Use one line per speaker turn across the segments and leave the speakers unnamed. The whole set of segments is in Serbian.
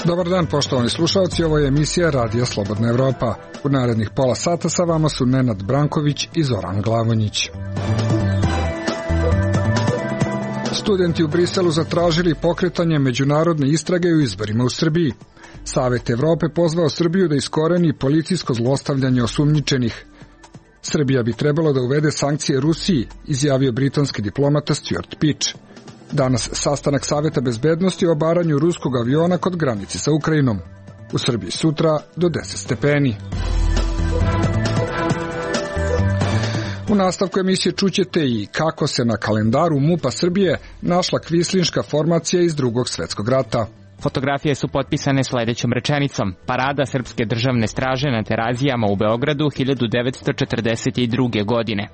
Dobar dan, poštovani slušalci, ovo je emisija Radija Slobodna Evropa. U narednih pola sata sa vama su Nenad Branković i Zoran Glavonjić. Studenti u Briselu zatražili pokretanje međunarodne istrage u izborima u Srbiji. Savet Evrope pozvao Srbiju da iskoreni policijsko zlostavljanje osumnjičenih. Srbija bi trebalo da uvede sankcije Rusiji, izjavio britanski diplomata Stuart Peach. Danas sastanak Saveta bezbednosti o obaranju ruskog aviona kod granice sa Ukrajinom. U Srbiji sutra do 10 stepeni. U nastavku emisije čućete i kako se na kalendaru MUP-a Srbije našla kvislinška formacija iz Drugog svetskog rata.
Fotografije su potpisane sledećom rečenicom: Parada Srpske državne straže na Terazijama u Beogradu 1942. godine.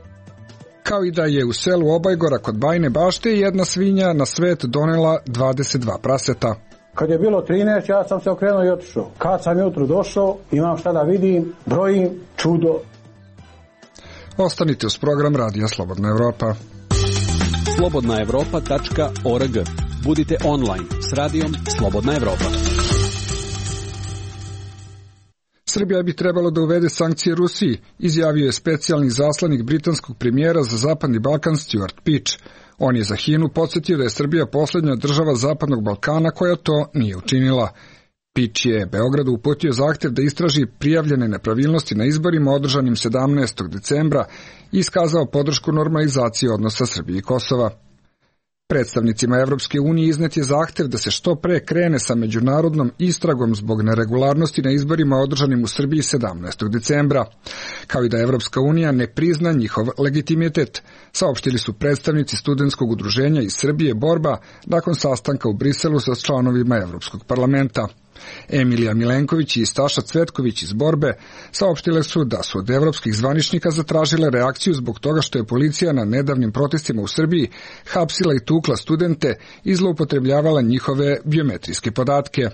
Kao i da je u selu Obajgora kod Bajine Bašte jedna svinja na svet donela 22 praseta.
Kad je bilo 13, ja sam se okrenuo i otišao. Kad sam jutro došao, imam šta da vidim, brojim, čudo.
Ostanite uz program Radija Slobodna Evropa.
slobodnaevropa.org. Budite online s Radijom Slobodna Evropa.
Srbija bi trebalo da uvede sankcije Rusiji, izjavio je specijalni zaslanik britanskog premijera za Zapadni Balkan Stuart Peach. On je za HINA-u podsjetio da je Srbija poslednja država Zapadnog Balkana koja to nije učinila. Peach je Beogradu uputio zahtev da istraži prijavljene nepravilnosti na izborima održanim 17. decembra i iskazao podršku normalizaciji odnosa Srbije i Kosova. Predstavnicima Evropske unije iznet je zahtev da se što pre krene sa međunarodnom istragom zbog neregularnosti na izborima održanim u Srbiji 17. decembra, kao i da Evropska unija ne prizna njihov legitimitet, saopštili su predstavnici studentskog udruženja iz Srbije Borba nakon sastanka u Briselu sa članovima Evropskog parlamenta. Emilija Milenković i Staša Cvetković iz Borbe saopštile su da su od evropskih zvaničnika zatražile reakciju zbog toga što je policija na nedavnim protestima u Srbiji hapsila i tukla studente i zloupotrebljavala njihove biometrijske podatke.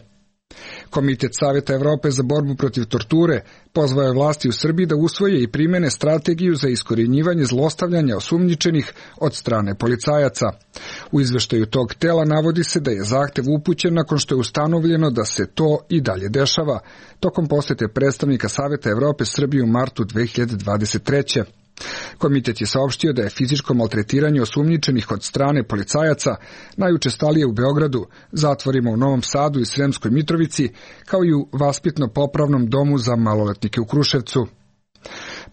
Komitet Saveta Evrope za borbu protiv torture pozvao je vlasti u Srbiji da usvoje i primene strategiju za iskorjenjivanje zlostavljanja osumnjičenih od strane policajaca. U izveštaju tog tela navodi se da je zahtev upućen nakon što je ustanovljeno da se to i dalje dešava, tokom posete predstavnika Saveta Evrope Srbiji u martu 2023. Komitet je saopštio da je fizičko maltretiranje osumnjičenih od strane policajaca najučestalije u Beogradu, zatvorima u Novom Sadu i Sremskoj Mitrovici, kao i u vaspitno-popravnom domu za maloletnike u Kruševcu.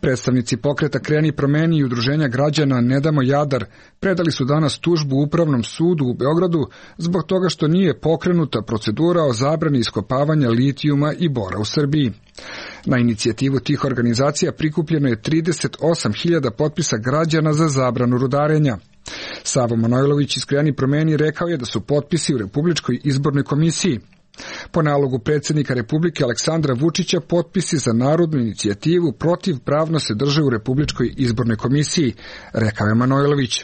Predstavnici pokreta Kreni promeni i udruženja građana Ne damo Jadar predali su danas tužbu Upravnom sudu u Beogradu zbog toga što nije pokrenuta procedura o zabrani iskopavanja litijuma i bora u Srbiji. Na inicijativu tih organizacija prikupljeno je 38.000 potpisa građana za zabranu rudarenja. Savo Manojlović iz Kreni promeni rekao je da su potpisi u Republičkoj izbornoj komisiji. Po nalogu predsjednika Republike Aleksandra Vučića potpisi za narodnu inicijativu protiv pravno se drže u Republičkoj izbornoj komisiji, rekao je Manojlović.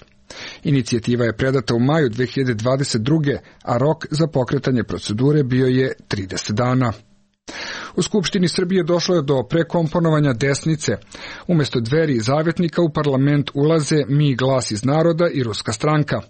Inicijativa je predata u maju 2022. a rok za pokretanje procedure bio je 30 dana. U Skupštini Srbije došlo je do prekomponovanja desnice. Umesto Dveri i Zavetnika u parlament ulaze Mi glas iz naroda i Ruska stranka.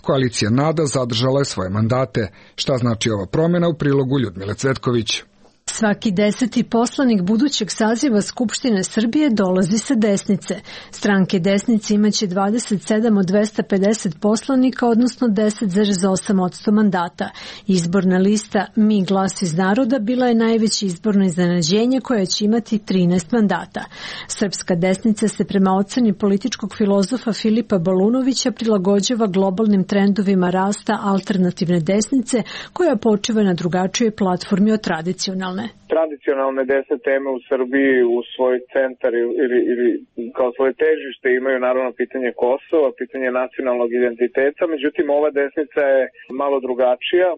Koalicija NADA zadržala je svoje mandate. Šta znači ova promjena u prilogu Ljudmile Cvetković?
Svaki 10. poslanik budućeg saziva Skupštine Srbije dolazi sa desnice. Stranke desnice imaće 27 od 250 poslanika, odnosno 10,8% mandata. Izborna lista Mi glas iz naroda bila je najveće izborno iznenađenje koje će imati 13 mandata. Srpska desnica se prema oceni političkog filozofa Filipa Balunovića prilagođava globalnim trendovima rasta alternativne desnice koja počiva na drugačijoj platformi od tradicionalne.
Tradicionalne desne teme u Srbiji u svoj centar ili kao svoje težište imaju naravno pitanje Kosova, pitanje nacionalnog identiteta, međutim ova desnica je malo drugačija,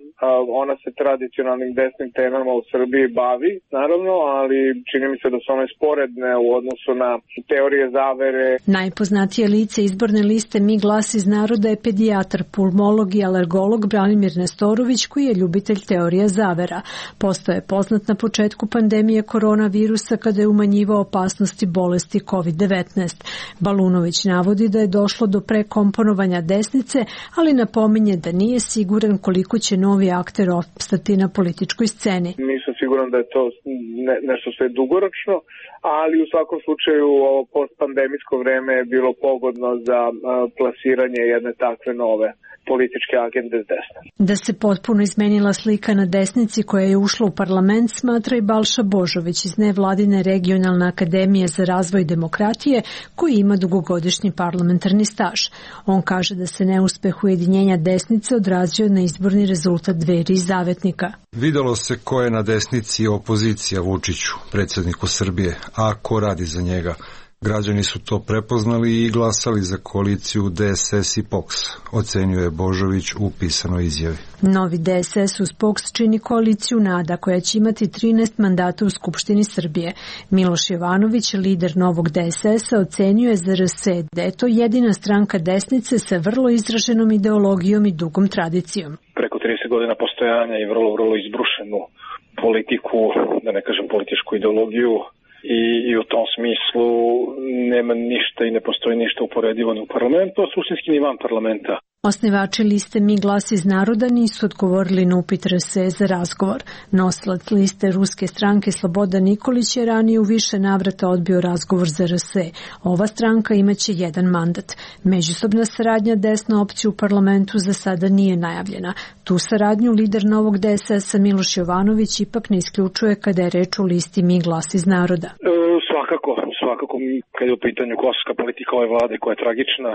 ona se tradicionalnim desnim temama u Srbiji bavi, naravno, ali čini mi se da su one sporedne u odnosu na teorije zavere.
Najpoznatije lice izborne liste Mi glas iz naroda je pedijatar, pulmolog i alergolog Branimir Nestorović, koji je ljubitelj teorija zavera. Postao je poznat na početku početku pandemije koronavirusa kada je umanjivao opasnosti bolesti COVID-19. Balunović navodi da je došlo do prekomponovanja desnice, ali napominje da nije siguran koliko će novi akter opstati na političkoj sceni.
Nisam siguran da je to nešto što je dugoročno, ali u svakom slučaju ovo postpandemijsko vreme je bilo pogodno za plasiranje jedne takve nove političke agende s desne.
Da se potpuno izmenila slika na desnici koja je ušla u parlament, smatra i Balša Božović iz nevladine regionalne akademije za razvoj demokratije, koji ima dugogodišnji parlamentarni staž. On kaže da se neuspeh ujedinjenja desnice odrazio na izborni rezultat Dveri i Zavetnika.
Videlo se ko je na desnici opozicija Vučiću, predsjedniku Srbije, a ko radi za njega. Građani su to prepoznali i glasali za koaliciju DSS i POKS, ocenio je Božović u pisanoj izjavi.
Novi DSS uz POKS čini koaliciju NADA koja će imati 13 mandata u Skupštini Srbije. Miloš Jovanović, lider novog DSS-a, ocenio je za RS da je to jedina stranka desnice sa vrlo izraženom ideologijom i dugom tradicijom.
Preko 30 godina postojanja i vrlo izbrušenu politiku, da ne kažem političku ideologiju, i u tom smislu nema ništa i ne postoji ništa uporedivo ni u parlamentu, a suštinski ni van parlamenta.
Osnivači liste Mi glas iz naroda nisu odgovorili na upit RS za razgovor. Nosilac liste ruske stranke Slobodan Nikolić je ranije u više navrata odbio razgovor za RS. Ova stranka imaće jedan mandat. Međusobna saradnja desna opcija u parlamentu za sada nije najavljena. Tu saradnju lider novog DSS-a Miloš Jovanović ipak ne isključuje kada je reč o listi Mi glas iz naroda.
Svakako kad je u pitanju kosovska politika ove vlade koja je tragična,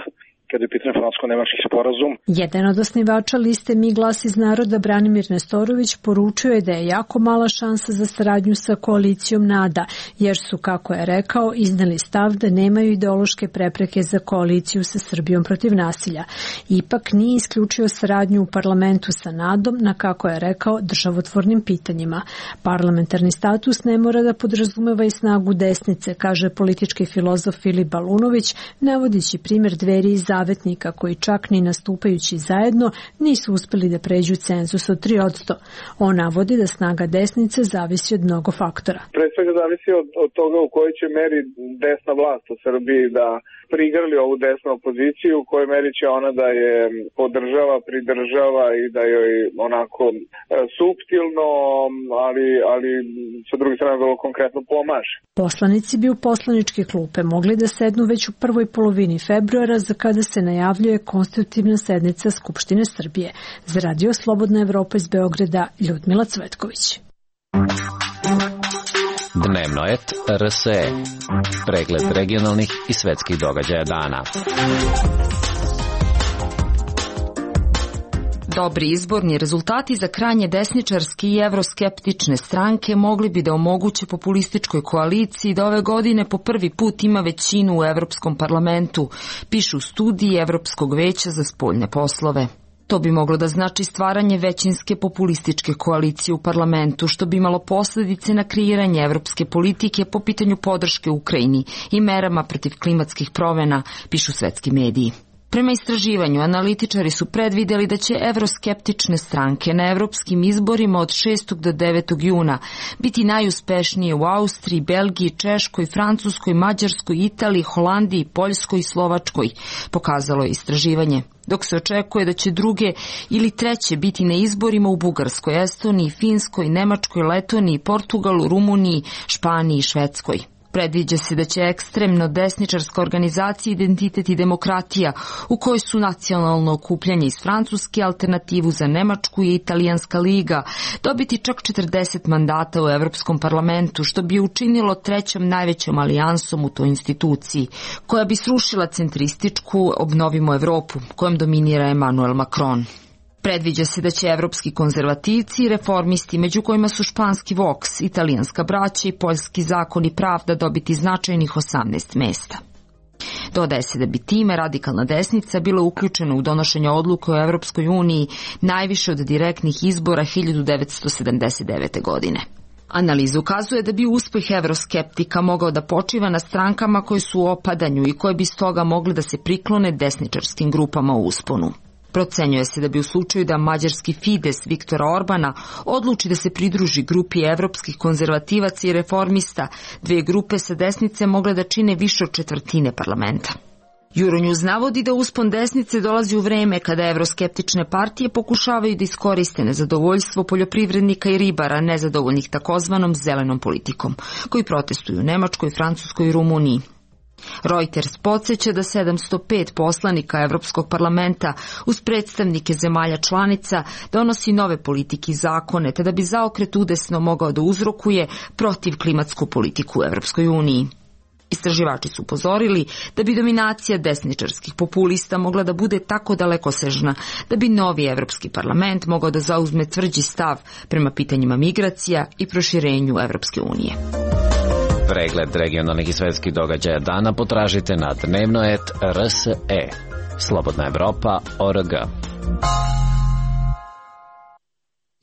kada je u pitanju francusko-nemački sporazum.
Jedan od osnivača liste Mi glas iz naroda, Branimir Nestorović, poručio je da je jako mala šansa za saradnju sa koalicijom NADA, jer su, kako je rekao, izneli stav da nemaju ideološke prepreke za koaliciju sa Srbijom protiv nasilja. Ipak nije isključio saradnju u parlamentu sa NADom na, kako je rekao, državotvornim pitanjima. Parlamentarni status ne mora da podrazumeva i snagu desnice, kaže politički filozof Filip Balunović, navodići primjer Dveri i Zavetnika koji čak ni nastupajući zajedno nisu uspeli da pređu cenzus od 3%. On navodi da snaga desnice zavisi od mnogo faktora.
Pre svega zavisi od toga u kojoj će meri desna vlast u Srbiji da prigrli ovu desnu opoziciju, u kojoj meri će ona da je podržava, pridržava i da joj onako suptilno, ali sa druge strane vrlo konkretno pomaže.
Poslanici bi u poslaničke klupe mogli da sednu već u prvoj polovini februara, za kada se najavljuje konstitutivna sednica Skupštine Srbije. Za Radio Slobodna Evropa iz Beograda, Ljudmila Cvetković.
Dnevno et RSE. Pregled regionalnih i svetskih događaja dana.
Dobri izborni rezultati za krajnje desničarske i evroskeptične stranke mogli bi da omoguće populističkoj koaliciji da ove godine po prvi put ima većinu u Evropskom parlamentu, pišu studiji Evropskog veća za spoljne poslove. To bi moglo da znači stvaranje većinske populističke koalicije u parlamentu, što bi imalo posledice na kreiranje evropske politike po pitanju podrške Ukrajini i merama protiv klimatskih promjena, pišu svetski mediji. Prema istraživanju, analitičari su predvideli da će evroskeptične stranke na evropskim izborima od 6. do 9. juna biti najuspešnije u Austriji, Belgiji, Češkoj, Francuskoj, Mađarskoj, Italiji, Holandiji, Poljskoj i Slovačkoj, pokazalo je istraživanje. Dok se očekuje da će druge ili treće biti na izborima u Bugarskoj, Estoniji, Finskoj, Nemačkoj, Letoniji, Portugalu, Rumuniji, Španiji i Švedskoj. Predviđa se da će ekstremno desničarska organizacija Identitet i demokratija, u kojoj su nacionalno okupljanje iz Francuske, Alternativu za Nemačku i Italijanska liga, dobiti čak 40 mandata u Evropskom parlamentu, što bi učinilo trećom najvećom alijansom u toj instituciji, koja bi srušila centrističku Obnovimo Evropu, kojom dominira Emmanuel Macron. Predviđa se da će evropski konzervativci i reformisti, među kojima su španski Vox, italijanska braća i poljski zakon i pravda, dobiti značajnih 18 mesta. Dodaje se da bi time radikalna desnica bila uključena u donošenje odluke o Evropskoj uniji najviše od direktnih izbora 1979. godine. Analiza ukazuje da bi uspeh evroskeptika mogao da počiva na strankama koje su u opadanju i koje bi stoga mogli da se priklone desničarskim grupama u usponu. Procenjuje se da bi u slučaju da mađarski Fides Viktora Orbana odluči da se pridruži grupi evropskih konzervativaca i reformista, dve grupe sa desnice mogle da čine više od četvrtine parlamenta. Euronews navodi da uspon desnice dolazi u vreme kada evroskeptične partije pokušavaju da iskoriste nezadovoljstvo poljoprivrednika i ribara nezadovoljnih takozvanom zelenom politikom, koji protestuju u Nemačkoj, Francuskoj i Rumuniji. Reuters podsjeća da 705 poslanika Evropskog parlamenta uz predstavnike zemalja članica donosi nove politike i zakone, te da bi zaokret udesno mogao da uzrokuje protiv klimatsku politiku u Evropskoj uniji. Istraživači su upozorili da bi dominacija desničarskih populista mogla da bude tako dalekosežna da bi novi Evropski parlament mogao da zauzme tvrđi stav prema pitanjima migracija i proširenju Evropske unije.
Pregled regionalnih i svetskih događaja dana potražite na dnevno.rs.e. Slobodna Evropa.org.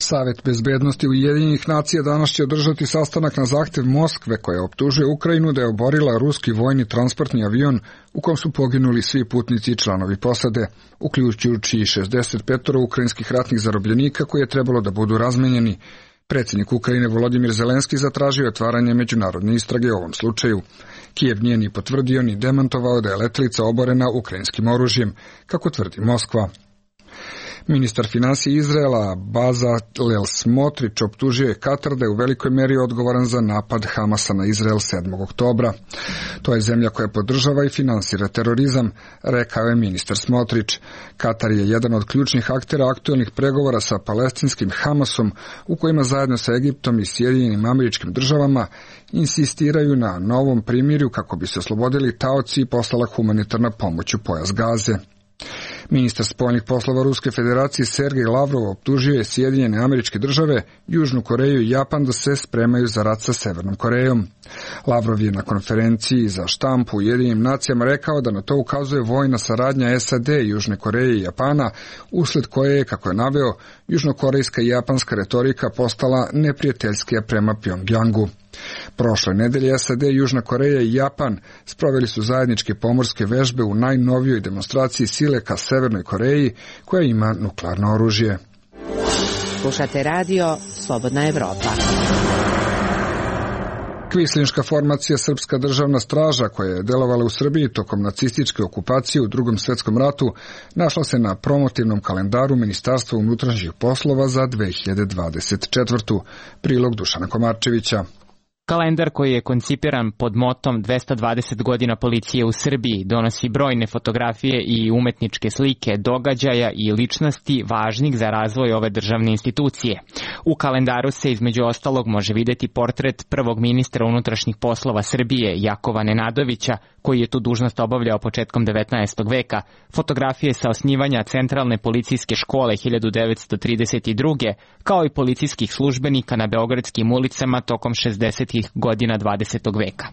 Savet bezbednosti Ujedinjenih nacija danas će održati sastanak na zahtev Moskve koja optužuje Ukrajinu da je oborila ruski vojni transportni avion u kom su poginuli svi putnici i članovi posade, uključujući i 65 ukrajinskih ratnih zarobljenika koji je trebalo da budu razmenjeni. Predsjednik Ukrajine Volodimir Zelenski zatražio otvaranje međunarodne istrage u ovom slučaju. Kijev nije ni potvrdio ni demantovao da je letelica oborena ukrajinskim oružjem, kako tvrdi Moskva. Ministar finansija Izraela Bezalel Smotrić optužio je Katar da je u velikoj meri odgovoran za napad Hamasa na Izrael 7. oktobra. To je zemlja koja podržava i finansira terorizam, rekao je ministar Smotrić. Katar je jedan od ključnih aktera aktuelnih pregovora sa palestinskim Hamasom, u kojima zajedno sa Egiptom i Sjedinjenim Američkim Državama insistiraju na novom primirju kako bi se oslobodili taoci i poslala humanitarna pomoć u pojas Gaze. Ministar spoljnih poslova Ruske federacije Sergej Lavrov optužio je Sjedinjene Američke Države, Južnu Koreju i Japan da se spremaju za rat sa Severnom Korejom. Lavrov je na konferenciji za štampu u Ujedinjenim nacijama rekao da na to ukazuje vojna saradnja SAD, Južne Koreje i Japana, usled koje je, kako je naveo, južnokorejska i japanska retorika postala neprijateljskija prema Pjongjangu. Prošle nedelje SAD, Južna Koreja i Japan sproveli su zajedničke pomorske vežbe u najnovijoj demonstraciji sile ka Severnoj Koreji koja ima nuklearno oružje.
Slušate radio Slobodna Evropa.
Kvislinška formacija Srpska državna straža koja je delovala u Srbiji tokom nacističke okupacije u Drugom svjetskom ratu našla se na promotivnom kalendaru Ministarstva unutrašnjih poslova za 2024. Prilog Dušana Komarčevića.
Kalendar koji je koncipiran pod motom 220 godina policije u Srbiji donosi brojne fotografije i umetničke slike događaja i ličnosti važnih za razvoj ove državne institucije. U kalendaru se između ostalog može vidjeti portret prvog ministra unutrašnjih poslova Srbije Jakova Nenadovića, koji je tu dužnost obavljao početkom 19. veka, fotografije sa osnivanja Centralne policijske škole 1932. kao i policijskih službenika na beogradskim ulicama tokom 60. godina 20. veka.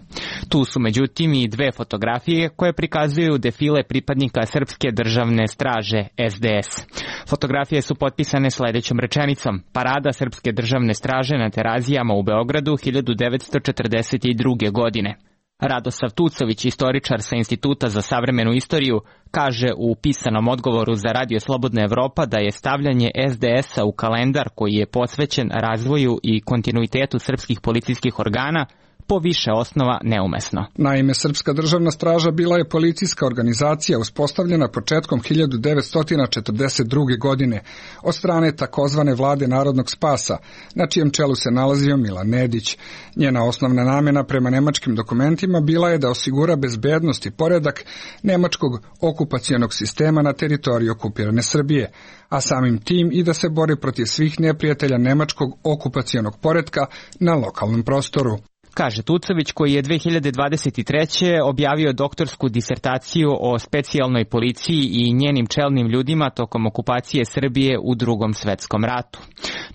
Tu su međutim i dve fotografije koje prikazuju defile pripadnika Srpske državne straže SDS. Fotografije su potpisane sledećom rečenicom: Parada Srpske državne straže na Terazijama u Beogradu 1942. godine. Radosav Tucović, istoričar sa Instituta za savremenu istoriju, kaže u pisanom odgovoru za Radio Slobodna Evropa da je stavljanje SDS-a u kalendar koji je posvećen razvoju i kontinuitetu srpskih policijskih organa po više osnova neumesno.
Naime, Srpska državna straža bila je policijska organizacija uspostavljena početkom 1942. godine od strane takozvane vlade Narodnog spasa, na čijem čelu se nalazio Milan Nedić. Njena osnovna namjena prema nemačkim dokumentima bila je da osigura bezbednost i poredak nemačkog okupacionog sistema na teritoriji okupirane Srbije, a samim tim i da se bori protiv svih neprijatelja nemačkog okupacionog poretka na lokalnom prostoru.
Kaže Tucović, koji je 2023. objavio doktorsku disertaciju o specijalnoj policiji i njenim čelnim ljudima tokom okupacije Srbije u Drugom svetskom ratu.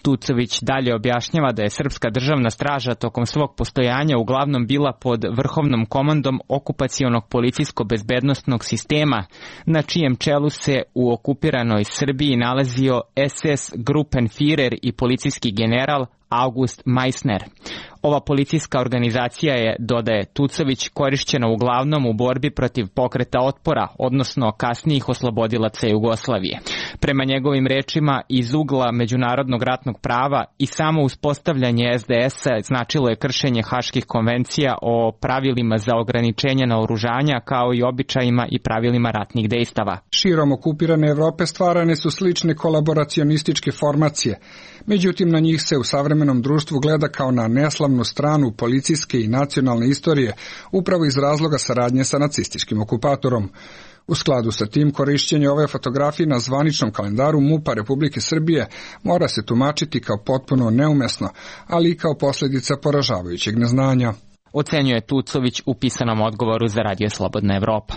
Tucović dalje objašnjava da je Srpska državna straža tokom svog postojanja uglavnom bila pod vrhovnom komandom okupacionog policijsko-bezbednostnog sistema, na čijem čelu se u okupiranoj Srbiji nalazio SS Gruppenführer i policijski general August Meissner. Ova policijska organizacija je, dodaje Tucović, korišćena uglavnom u borbi protiv pokreta otpora, odnosno kasnijih oslobodilaca Jugoslavije. Prema njegovim rečima, iz ugla međunarodnog ratnog prava i samo uspostavljanje SDS-a značilo je kršenje Haških konvencija o pravilima za ograničenje naoružanja kao i običajima i pravilima ratnih dejstava.
Širom okupirane Evrope stvarane su slične kolaboracionističke formacije, međutim na njih se u savremenom društvu gleda kao na neslavnu stranu policijske i nacionalne istorije, upravo iz razloga saradnje sa nacističkim okupatorom. U skladu sa tim, korišćenje ove fotografije na zvaničnom kalendaru MUP-a Republike Srbije mora se tumačiti kao potpuno neumesno, ali i kao posljedica poražavajućeg neznanja,
ocenjuje Tucović u pisanom odgovoru za Radio Slobodna Evropa.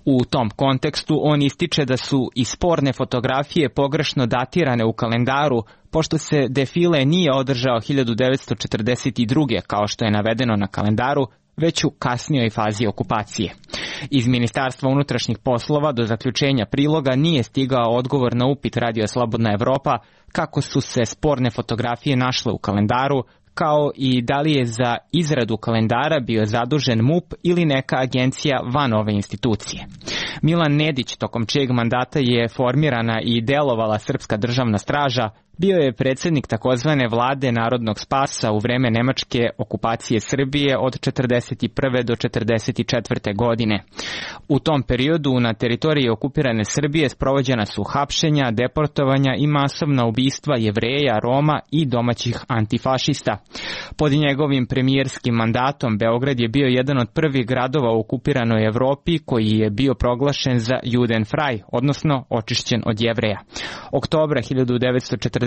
U tom kontekstu on ističe da su i sporne fotografije pogrešno datirane u kalendaru, pošto se defile nije održao 1942. kao što je navedeno na kalendaru, već u kasnijoj fazi okupacije. Iz Ministarstva unutrašnjih poslova do zaključenja priloga nije stigao odgovor na upit Radio Slobodna Evropa kako su se sporne fotografije našle u kalendaru, kao i da li je za izradu kalendara bio zadužen MUP ili neka agencija van ove institucije. Milan Nedić, tokom čijeg mandata je formirana i delovala Srpska državna straža, bio je predsjednik takozvane vlade Narodnog spasa u vreme nemačke okupacije Srbije od 1941. do 1944. godine. U tom periodu na teritoriji okupirane Srbije sprovođena su hapšenja, deportovanja i masovna ubistva Jevreja, Roma i domaćih antifašista. Pod njegovim premijerskim mandatom Beograd je bio jedan od prvih gradova u okupiranoj Evropi koji je bio proglašen za Judenfrei, odnosno očišćen od Jevreja. Oktobra 1944.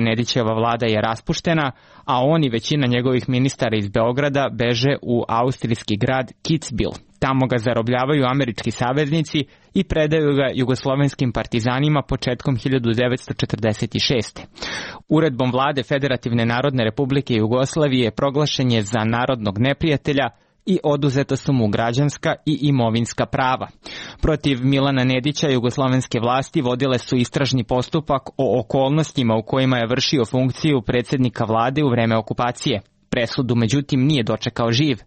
Nedićeva vlada je raspuštena, a on i većina njegovih ministara iz Beograda beže u austrijski grad Kitzbühel. Tamo ga zarobljavaju američki saveznici i predaju ga jugoslovenskim partizanima početkom 1946. Uredbom vlade Federativne Narodne Republike Jugoslavije proglašen je za narodnog neprijatelja i oduzeta su mu građanska i imovinska prava. Protiv Milana Nedića jugoslovenske vlasti vodile su istražni postupak o okolnostima u kojima je vršio funkciju predsjednika vlade u vreme okupacije. Presudu, međutim, nije dočekao živ.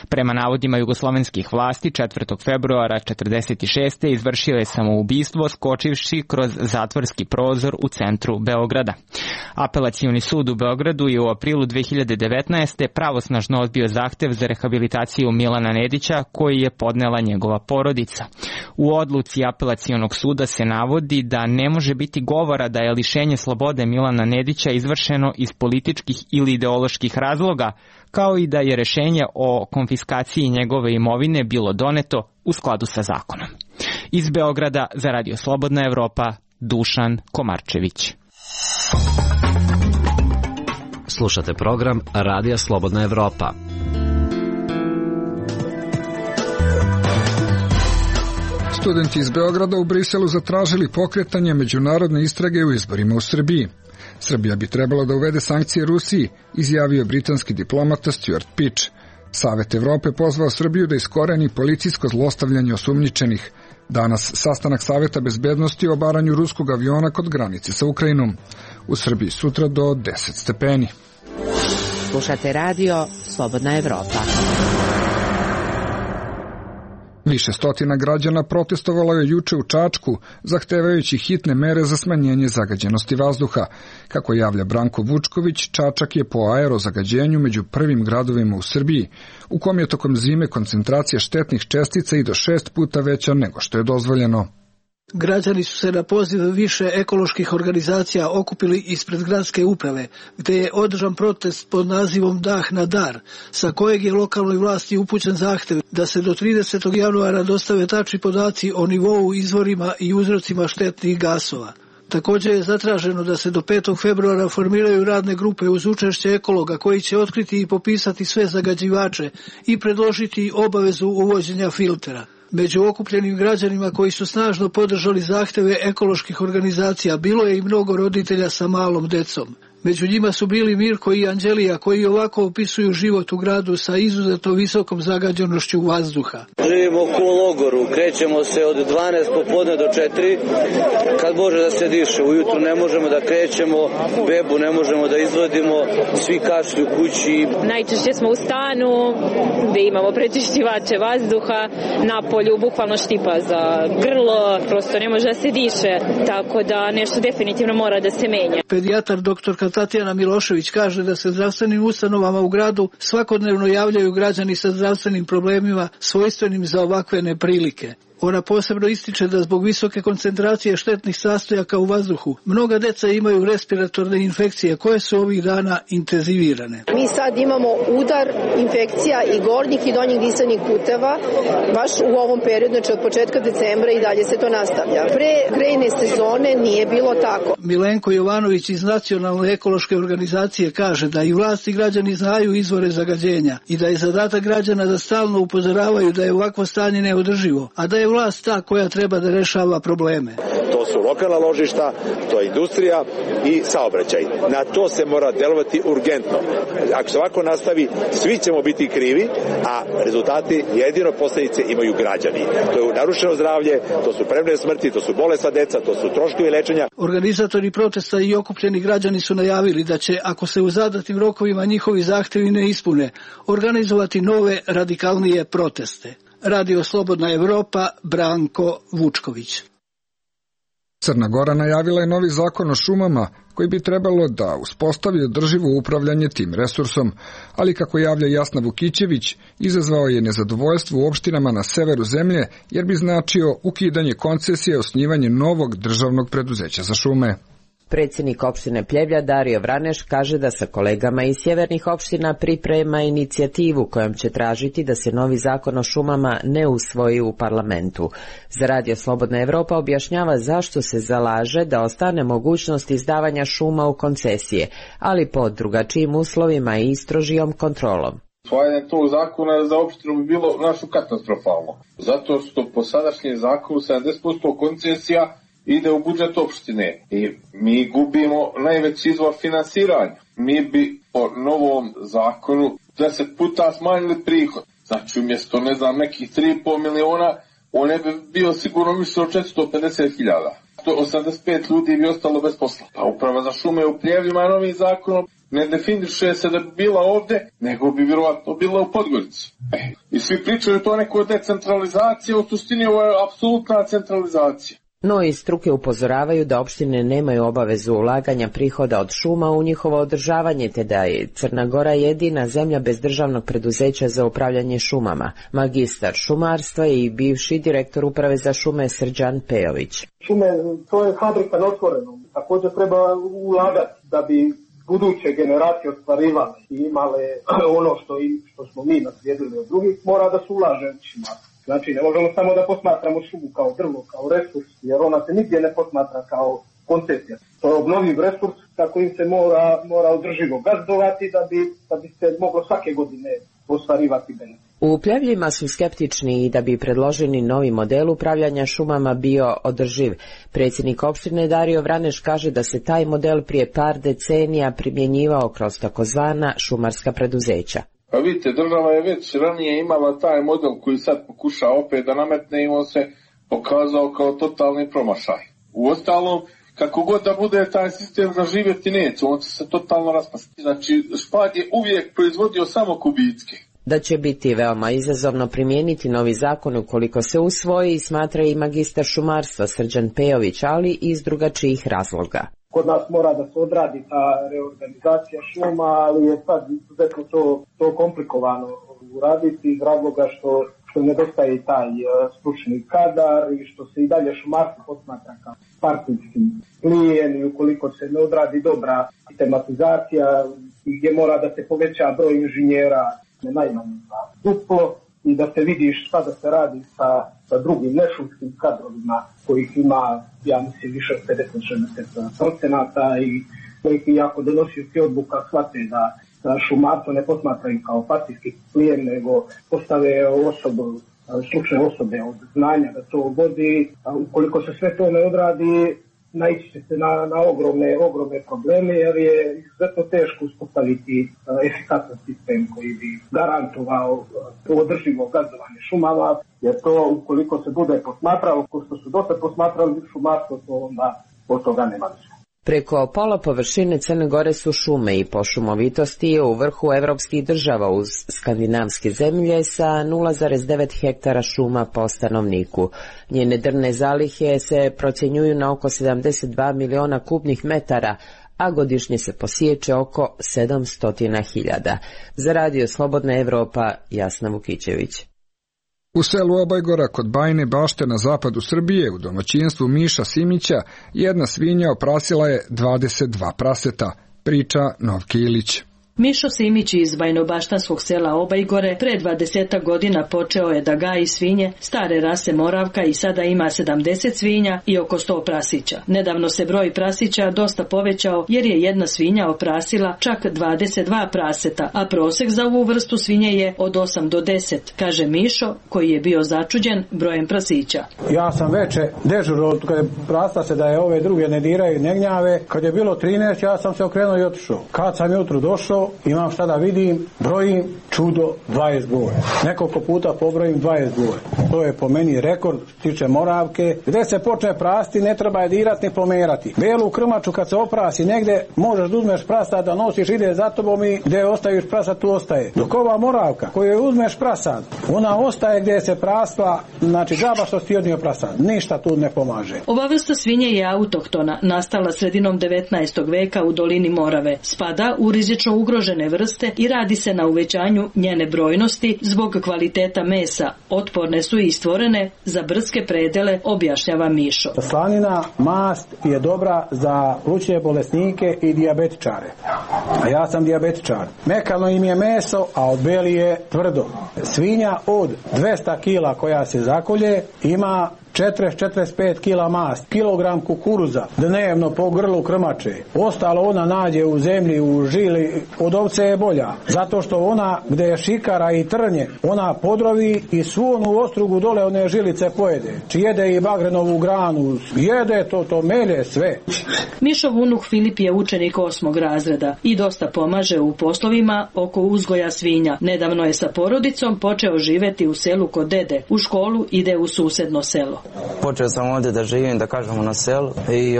Prema navodima jugoslovenskih vlasti, 4. februara 1946. izvršio je samoubistvo skočivši kroz zatvorski prozor u centru Beograda. Apelacioni sud u Beogradu je u aprilu 2019. pravosnažno odbio zahtev za rehabilitaciju Milana Nedića koji je podnela njegova porodica. U odluci apelacionog suda se navodi da ne može biti govora da je lišenje slobode Milana Nedića izvršeno iz političkih ili ideoloških razloga, kao i da je rešenje o konfiskaciji njegove imovine bilo doneto u skladu sa zakonom. Iz Beograda za Radio Slobodna Evropa, Dušan Komarčević.
Slušate program Radija Slobodna Evropa.
Studenti iz Beograda u Briselu zatražili pokretanje međunarodne istrage u izborima u Srbiji. Srbija bi trebalo da uvede sankcije Rusiji, izjavio britanski diplomata Stuart Pitch. Savet Evrope pozvao Srbiju da iskoreni policijsko zlostavljanje osumnjičenih. Danas sastanak Saveta bezbednosti o obaranju ruskog aviona kod granice sa Ukrajinom. U Srbiji sutra do 10 stepeni.
Slušate radio Slobodna Evropa.
Više stotina građana protestovalo je juče u Čačku, zahtevajući hitne mere za smanjenje zagađenosti vazduha. Kako javlja Branko Vučković, Čačak je po aerozagađenju među prvim gradovima u Srbiji, u kom je tokom zime koncentracija štetnih čestica i do 6 puta veća nego što je dozvoljeno.
Građani su se na poziv više ekoloških organizacija okupili ispred gradske uprave, gde je održan protest pod nazivom Dah na dar, sa kojeg je lokalnoj vlasti upućen zahtev da se do 30. januara dostave tačni podaci o nivou, izvorima i uzrocima štetnih gasova. Također je zatraženo da se do 5. februara formiraju radne grupe uz učešće ekologa koji će otkriti i popisati sve zagađivače i predložiti obavezu uvođenja filtera. Među okupljenim građanima koji su snažno podržali zahteve ekoloških organizacija bilo je i mnogo roditelja sa malom decom. Među njima su bili Mirko i Anđelija koji ovako opisuju život u gradu sa izuzetno visokom zagađenošću vazduha.
Živimo u logoru, krećemo se od 12 popodne do 4, kad može da se diše. Ujutru ne možemo da krećemo, bebu ne možemo da izvodimo, svi kašlju kući.
Najčešće smo u stanu gde imamo prečišćivače vazduha, na polju bukvalno štipa za grlo, prosto ne može da se diše, tako da nešto definitivno mora da se menja.
Pedijatar doktorka Tatjana Milošević kaže da se zdravstvenim ustanovama u gradu svakodnevno javljaju građani sa zdravstvenim problemima svojstvenim za ovakve neprilike. Ona posebno ističe da zbog visoke koncentracije štetnih sastojaka u vazduhu mnoga deca imaju respiratorne infekcije koje su ovih dana intenzivirane.
Mi sad imamo udar infekcija i gornjih i donjih disanih puteva baš u ovom periodu, znači od početka decembra i dalje se to nastavlja. Pre grejne sezone nije bilo tako.
Milenko Jovanović iz Nacionalne ekološke organizacije kaže da i vlast i građani znaju izvore zagađenja i da je zadatak građana da stalno upozoravaju da je ovakvo stanje neodrživo, a da je vlast ta koja treba da rešava probleme.
To su lokalna ložišta, to je industrija i saobraćaj. Na to se mora delovati urgentno. Ako se ovako nastavi, svi ćemo biti krivi, a rezultati jedino posledice imaju građani. To je narušeno zdravlje, to su premrene smrti, to su bolesna deca, to su troškovi lečenja.
Organizatori protesta i okupljeni građani su najavili da će, ako se u zadatim rokovima njihovi zahtevi ne ispune, organizovati nove radikalnije proteste. Radio Slobodna Evropa, Branko Vučković.
Crna Gora najavila je novi zakon o šumama koji bi trebalo da uspostavi održivo upravljanje tim resursom, ali kako javlja Jasna Vukićević, izazvao je nezadovoljstvo u opštinama na severu zemlje jer bi značio ukidanje koncesije i osnivanje novog državnog preduzeća za šume.
Predsjednik opštine Pljevlja Dario Vraneš kaže da sa kolegama iz sjevernih opština priprema inicijativu kojom će tražiti da se novi zakon o šumama ne usvoji u parlamentu. Za Radio Slobodna Evropa objašnjava zašto se zalaže da ostane mogućnost izdavanja šuma u koncesije, ali pod drugačijim uslovima i strožijom kontrolom.
Usvajanje tog zakona za opštinu bi bilo našu katastrofalno, zato što po sadašnjem zakonu 70% koncesija ide u budžet opštine i mi gubimo najveći izvor finansiranja. Mi bi po novom zakonu 10 puta smanjili prihod. Znači umjesto nekih 3,5 miliona, on ne bi bio sigurno više od 450.000. 185 ljudi bi ostalo bez posla. Pa uprava za šume u Pljevljima novim zakonom ne definiše se da bi bila ovde, nego bi vjerovatno bila u Podgorici. I svi pričaju to neko decentralizacija, u suštini ovo je apsolutna centralizacija.
No iz struke upozoravaju da opštine nemaju obavezu ulaganja prihoda od šuma u njihovo održavanje, te da je Crna Gora jedina zemlja bez državnog preduzeća za upravljanje šumama. Magistar šumarstva i bivši direktor uprave za šume Srđan Pejović.
Šume, to je fabrika na otvorenom. Također treba ulagati da bi buduće generacije ostvarivale i imale ono što smo mi naslijedili od drugih, mora da se ulaže u šumarstvo. Znači, ne možemo samo da posmatramo šumu kao drvo, kao resurs, jer ona se nigdje ne posmatra kao koncesija. To je obnovljiv resurs, tako im se mora održivo gazdovati da bi se moglo svake godine ostvarivati benefit.
U Pljevljima su skeptični i da bi predloženi novi model upravljanja šumama bio održiv. Predsjednik opštine Dario Vraneš kaže da se taj model prije par decenija primjenjivao kroz takozvana šumarska preduzeća.
Pa vidite, država je već ranije imala taj model koji sad pokuša opet da nametne i on se pokazao kao totalni promašaj. Uostalom, kako god da bude taj sistem zaživjeti neće, on će se totalno raspasti. Znači, Špad je uvijek proizvodio samo kubicke.
Da će biti veoma izazovno primijeniti novi zakon ukoliko se usvoji, smatra i magistar šumarstva Srđan Pejović, ali i iz drugačijih razloga.
Kod nas mora da se odradi ta reorganizacija šuma, ali je sad izuzetno to komplikovano uraditi iz razloga što nedostaje i taj stručni kadar i što se i dalje šumarstvo posmatra kao partijski plijen i ukoliko se ne odradi dobra tematizacija i gdje mora da se poveća broj inženjera najmanje duplo i da se vidi šta da se radi sa drugim nešumskim kadrovima kojih ima, ja mislim, više od 50-60% i koji jako donosioci odluka shvate da šumarstvo ne posmatraju kao partijski plijen, nego postave stručne osobe od znanja da to vodi. Ukoliko se sve to ne odradi, naići će se na ogromne probleme, jer je izuzetno teško uspostaviti efikasan sistem koji bi garantovao održivo gazdovanje šumama, jer to ukoliko se bude posmatralo, ko što su dosta posmatrali šumarstvo, to onda od toga nema više.
Preko pola površine Crne Gore su šume i po šumovitosti je u vrhu evropskih država uz skandinavske zemlje sa 0,9 hektara šuma po stanovniku. Njene drvne zalihe se procjenjuju na oko 72 miliona kubnih metara, a godišnje se posječe oko 700.000. Za Radio Slobodna Evropa, Jasna Vukićević.
U selu Obajgora kod Bajine Bašte na zapadu Srbije, u domaćinstvu Miša Simića, jedna svinja oprasila je 22 praseta, priča Novke Ilić.
Mišo Simić iz bajnobaštanskog sela Obajgore pre 20 godina počeo je da gaji svinje stare rase Moravka i sada ima 70 svinja i oko 100 prasića. Nedavno se broj prasića dosta povećao jer je jedna svinja oprasila čak 22 praseta, a prosek za ovu vrstu svinje je od 8 do 10, kaže Mišo koji je bio začuđen brojem prasića.
Ja sam veče dežurao kad je prasta se da je ove druge ne diraju, ne gnjave. Kad je bilo 13, ja sam se okrenuo i otišao. Kad sam jutro došao, imam šta da vidim, brojim, čudo, 20 gore. Nekoliko puta pobrojim 20 gore. To je po meni rekord, tiče Moravke. Gde se počne prasti, ne treba je dirati ni pomerati. Belu krmaču kad se oprasi negde, možeš da uzmeš prasad da nosiš, ide za tobom i gde ostaviš prasad, tu ostaje. Dok ova Moravka, koju uzmeš prasad, ona ostaje gde se prasla, znači džaba što ti odnio prasad. Ništa tu ne pomaže.
Ova vrsta svinje je autohtona, nastala sredinom 19. veka u dolini Morave. Spada u rizično ugrožene vrste i radi se na uvećanju njene brojnosti zbog kvaliteta mesa. Otporne su i stvorene za brdske predele, objašnjava Mišo.
Slanina, mast je dobra za plućne bolesnike i dijabetičare. A ja sam dijabetičar. Mekano im je meso, a od beli je tvrdo. Svinja od 200 kila koja se zakolje ima 40-45 kila mast, kilogram kukuruza dnevno po grlu krmače. Ostalo ona nađe u zemlji, u žili, od ovce je bolja. Zato što ona gde je šikara i trnje, ona podrovi i svu onu ostrugu dole one žilice pojede. Či jede i bagrenovu granu, jede to melje sve.
Mišov unuk Filip je učenik 8. razreda i dosta pomaže u poslovima oko uzgoja svinja. Nedavno je sa porodicom počeo živeti u selu kod dede. U školu ide u susedno selo.
Počeo sam ovdje da živim, da kažemo, na selu i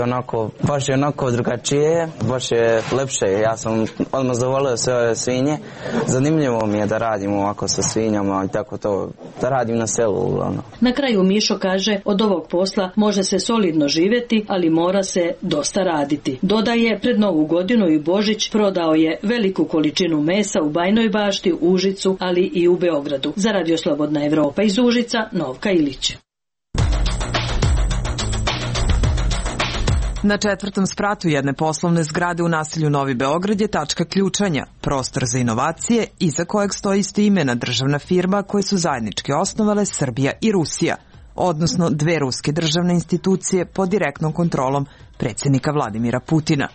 baš je onako drugačije, baš je lepše. Ja sam odmah zavolio sve ove svinje. Zanimljivo mi je da radim ovako sa svinjama i tako to, da radim na selu uglavnom.
Na kraju Mišo kaže, od ovog posla može se solidno živjeti, ali mora se dosta raditi. Dodaje, pred Novu godinu i Božić prodao je veliku količinu mesa u Bajnoj Bašti, u Užicu, ali i u Beogradu. Za Radio Slobodna Evropa iz Užica, Novka Ilić.
Na 4. spratu jedne poslovne zgrade u naselju Novi Beograd je tačka ključanja, prostor za inovacije iza kojeg stoji istoimena državna firma koje su zajednički osnovale Srbija i Rusija, odnosno dve ruske državne institucije pod direktnom kontrolom predsjednika Vladimira Putina.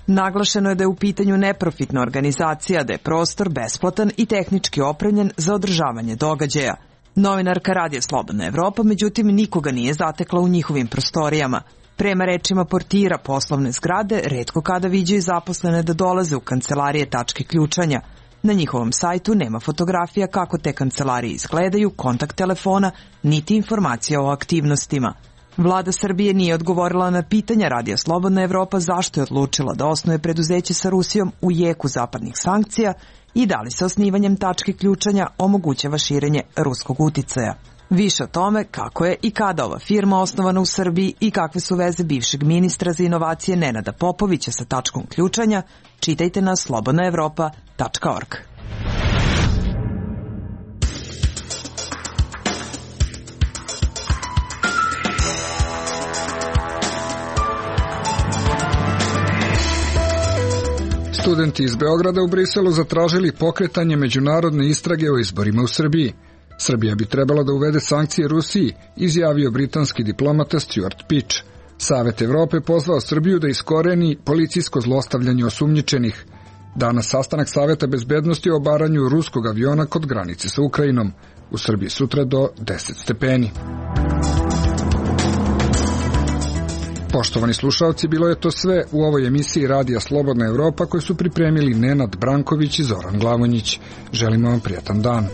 Naglašeno je da je u pitanju neprofitna organizacija, da je prostor besplatan i tehnički opremljen za održavanje događaja. Novinarka Radija Slobodna Evropa, međutim, nikoga nije zatekla u njihovim prostorijama. Prema rečima portira poslovne zgrade, retko kada viđaju zaposlene da dolaze u kancelarije tačke ključanja. Na njihovom sajtu nema fotografija kako te kancelarije izgledaju, kontakt telefona, niti informacija o aktivnostima. Vlada Srbije nije odgovorila na pitanja Radija Slobodna Evropa zašto je odlučila da osnuje preduzeće sa Rusijom u jeku zapadnih sankcija i da li se osnivanjem tačke ključanja omogućava širenje ruskog uticaja. Više o tome kako je i kada ova firma osnovana u Srbiji i kakve su veze bivšeg ministra za inovacije Nenada Popovića sa tačkom ključanja, čitajte na slobodnaevropa.org.
Studenti iz Beograda u Briselu zatražili pokretanje međunarodne istrage o izborima u Srbiji. Srbija bi trebala da uvede sankcije Rusiji, izjavio britanski diplomata Stuart Pitch. Savet Evrope pozvao Srbiju da iskoreni policijsko zlostavljanje osumnjičenih. Danas sastanak Saveta bezbednosti o obaranju ruskog aviona kod granice sa Ukrajinom. U Srbiji sutra do 10 stepeni. Poštovani slušalci, bilo je to sve u ovoj emisiji Radija Slobodna Evropa koju su pripremili Nenad Branković i Zoran Glavonjić. Želimo vam prijatan dan.